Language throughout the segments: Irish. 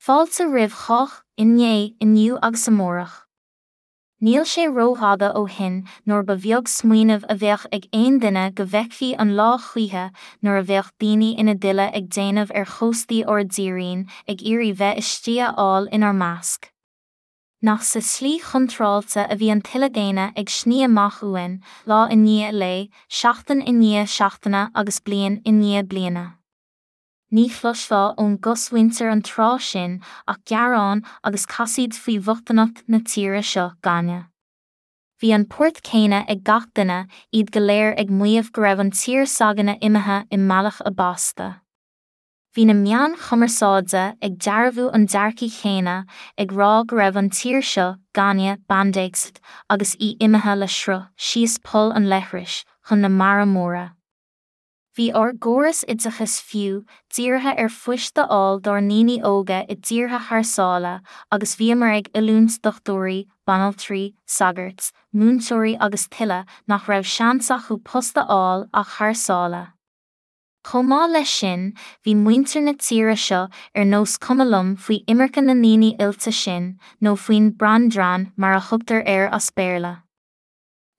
Fáilte roimh chách, inné, inniu agus amárach. Níl sé rófhada ó shin nuair ba bheag smaoineamh a bheadh ag aon duine go bhfeicfí an lá choíche nuair a bheadh daoine ina dtuile ag déanamh ar chóstaí ár dtírín ag iarraidh bheith istigh a fháil inár measc. Nach sa tslí chontráilte a bhí an tuile daonna ag sní amach uainn, lá i ndiaidh lae, seachtain i ndiaidh seachtaine agus bliain i ndiaidh bliana. Ní chloisfeá ón gcosmhuintir an tráth sin ach gearán agus casaoid faoi bhochtaineacht na tíre seo 'gainne. Bhí an port céanna ag gach duine, iad go léir ag maíomh go raibh an tír s'againne imithe i mbealach a básta. Bhí na meáin chumarsáide ag dearbhú an dearcaidh chéanna, ag rá go raibh an tír seo 'gainne bandaegst agus í imithe le sruth síos poll an leithris chun na mara móire. Bhí ár gcóras oideachais fiú dírithe ar phoist a fháil dár ndaoine óga i dtíortha thar sáile agus bhíomar ag oiliúint dochtúirí, banaltraí, sagairt, múinteoirí agus tuilleadh nach raibh seans acu post a fháil ach thar sáile. Chomh maith leis sin, bhí muintir na tíre seo ar nós cuma liom faoi imirce na ndaoine oilte sin nó faoin 'brain drain' mar a thugtar air as Béarla.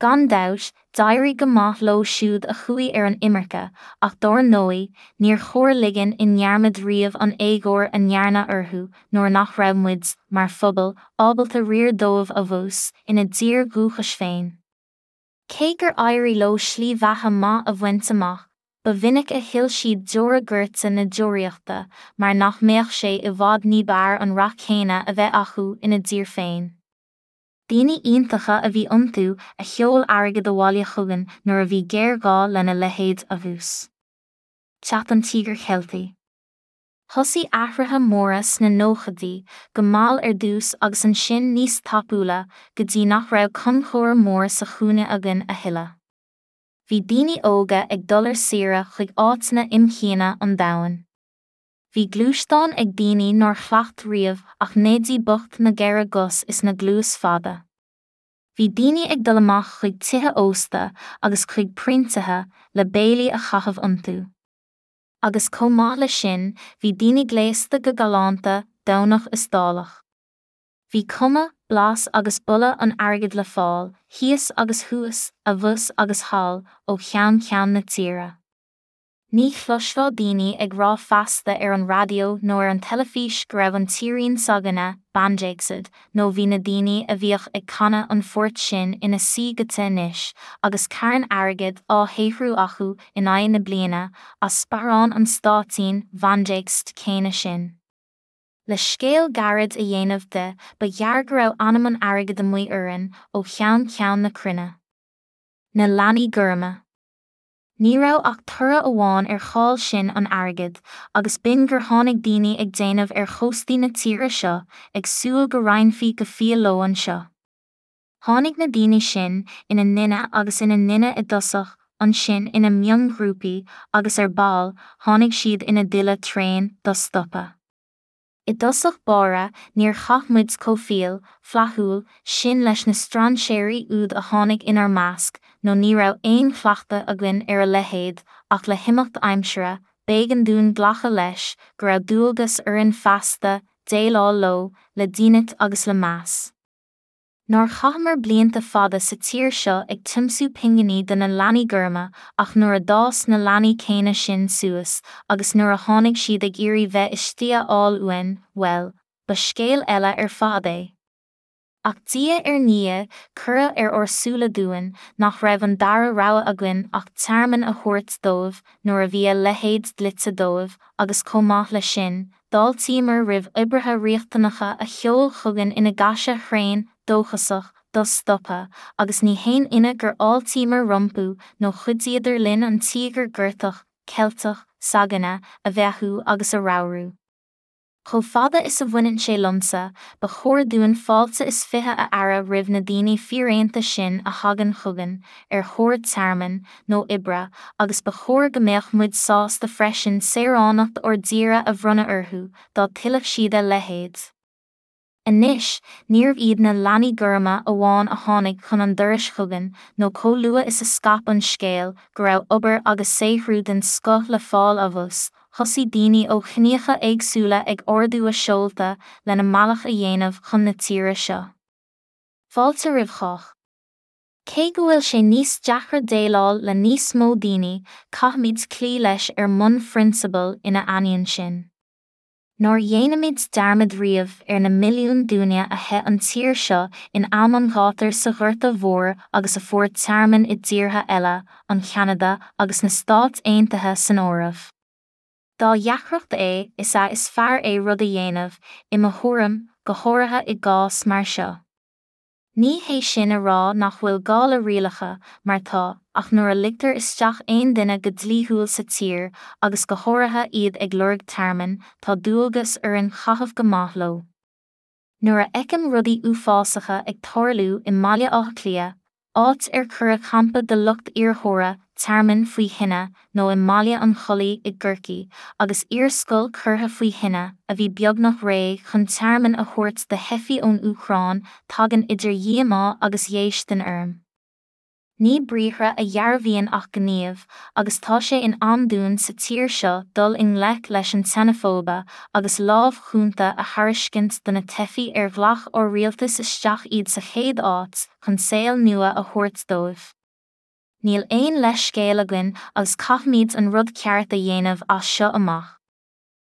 Gan dabht, d'éirigh go maith leo siúd a chuaigh ar an imirce, ach dár ndóigh, níor chóir ligean i ndearmad riamh an éagóir a ndearnadh orthu nuair nach raibh muid, mar phobal, ábalta riar dóibh abhus, ina dtír dhúchais féin. Cé gur éirigh leo slí bheatha maith a bhaint amach, ba mhinic a shil siad deora goirte na deoraíochta mar nach mbeadh sé i bhfad ní b'fhearr an rath céanna a bheith acu ina dtír féin. Daoine iontacha a bhí iontu a sheol airgead abhaile chugainn nuair a bhí géarghá lena leithéid abhus. Teacht an Tíogair Cheiltigh. Thosaigh athruithe móra sna nóchaidí, go mall ar dtús agus ansin níos tapúla, go dtí nach raibh Conchúr Mór sa chúinne againn a thuilleadh. Bhí daoine óga ag dul ar saoire chuig áiteanna imdhíona an domhain. Bhí gluaisteáin ag daoine nár chleacht riamh ach Neidí bocht na gceithre gcos is na gcluas fada. Bhí daoine ag dul amach chuig tithe ósta agus chuig proinntithe le béilí a chaitheamh iontu. Agus chomh maith leis sin bhí daoine gléasta go galánta, Domhnach is dálach. Bhí cuma, blas agus boladh an airgid le fáil, thíos agus thuas, abhus agus thall, ó cheann ceann na tíre. Ní chloisfeá daoine ag rá feasta ar an raidió nó ar an teilifís go raibh an tírín s'againne bandaegst nó bhí na daoine a bhíodh ag canadh an phoirt sin ina suí go te anois agus carn airgid á shaothrú acu in aghaidh na bliana as sparán an stáitín bhandaegst céanna sin. Le scéal gairid a dhéanamh de ba ghearr go raibh anam an airgid amuigh orainn ó cheann ceann na cruinne. Na leanaí gorma. Ní raibh ach toradh amháin ar cháil sin an airgid, agus b'in gur tháinig daoine ag déanamh ar chóstaí na tíre seo, ag súil go roinnfí go fial leo anseo. Tháinig na daoine sin, ina nduine agus ina nduine i dtosach, ansin ina mionghrúpaí, agus ar ball, tháinig siad ina dtuile tréan, do-stoptha. I dtosach báire, níor chaith muid chomh fial, flaithiúil, sin leis na strainséirí úd a tháinig inár measc, nó ní raibh aon chleachtadh againn ar a leithéid, ach le himeacht aimsire, b'éigean dúinn glacadh leis, go raibh dualgas orainn feasta, déileáil leo, le dínit agus le meas. Nár chaitheamar blianta fada sa tír seo ag tiomsú pinginí do na leanaí gorma ach nuair a d'fhás na leanaí céanna sin suas agus nuair a tháinig siad ag iarraidh bheith istigh a fháil uainn, bhuel, ba scéal eile ar fad é. Ach diaidh ar ndiaidh cuireadh ar ár súile dúinn nach raibh an dara rogha againn ach tearmann a thabhairt dóibh nuair a bhí a leithéid dlite dóibh agus chomh maith leis sin, D'fháiltíomar roimh oibrithe riachtanacha a sheol chugainn ina gcaise thréan, dóchasach, do-stoptha, agus ní haon ionadh gur fháiltíomar rompu nó chuidíodar linn an tíogar gortach, Ceilteach, s'againne, a bheathú agus a ramhrú. Chomh fada is a bhaineann sé liomsa, ba chóir dúinn fáilte is fiche a fhearadh roimh na daoine fíréanta sin a thagann chugainn, ar thóir tearmainn, nó oibre, agus ba chóir go mbeadh muid sásta freisin saoránacht ár dtíre a bhronnadh orthu, dá dtuillfeadh siad a leithéid. Anois, níorbh iad na leanaí gorma amháin a tháinig chun an dorais chugainn, nó chomh luath is a scaip an scéal go raibh obair agus saothrú den scoth le fáil abhus, thosaigh daoine ó chiníocha éagsúla ag ardú a seolta lena mbealach a dhéanamh chun na tíre seo. Fáilte roimh chách. Cé go bhfuil sé níos deacra déileáil le níos mó daoine, caithfimid cloí leis ar mbonn phrionsabail ina ainneoin sin. Nár dhéanaimid dearmad riamh ar na milliúin duine a theith an tír seo in am an ghátair sa Ghorta Mhór agus a fuair tearmann i dtíortha eile, an Cheanada agus na Stáit Aontaithe san áireamh. Dá dheacracht é, is ea is fearr é rud a dhéanamh, i mo thuairim, go háirithe i gcás mar seo. Ní hé sin a rá nach bhfuil gá le rialacha, mar tá, ach nuair a ligtear isteach aon duine go dlíthiúil sa tír, agus go háirithe iad ag lorg tearmainn, tá dualgas orainn caitheamh go maith leo. Nuair a fheicim rudaí uafásacha ag tarlú i mBaile Átha Cliath, áit ar cuireadh campa de lucht iarrthóra tearmainn faoi thine, nó i mBaile an Chollaigh i gCorcaigh, agus iarscoil curtha faoi thine, a bhí beagnach réidh chun tearmann a thabhairt do theifigh ón Úcráin, tagann idir dhíomá agus dhéistin orm. Ní briathra a dhearbhaíonn ach gníomh, agus tá sé in am dúinn sa tír seo dul i ngleic leis an tseineafóibe agus lámh chúnta a thairiscint do na teifigh ar ghlac ár rialtas isteach iad sa chéad áit chun saol nua a thabhairt dóibh. Níl aon leithscéal againn agus caithfimid an rud ceart a dhéanamh as seo amach.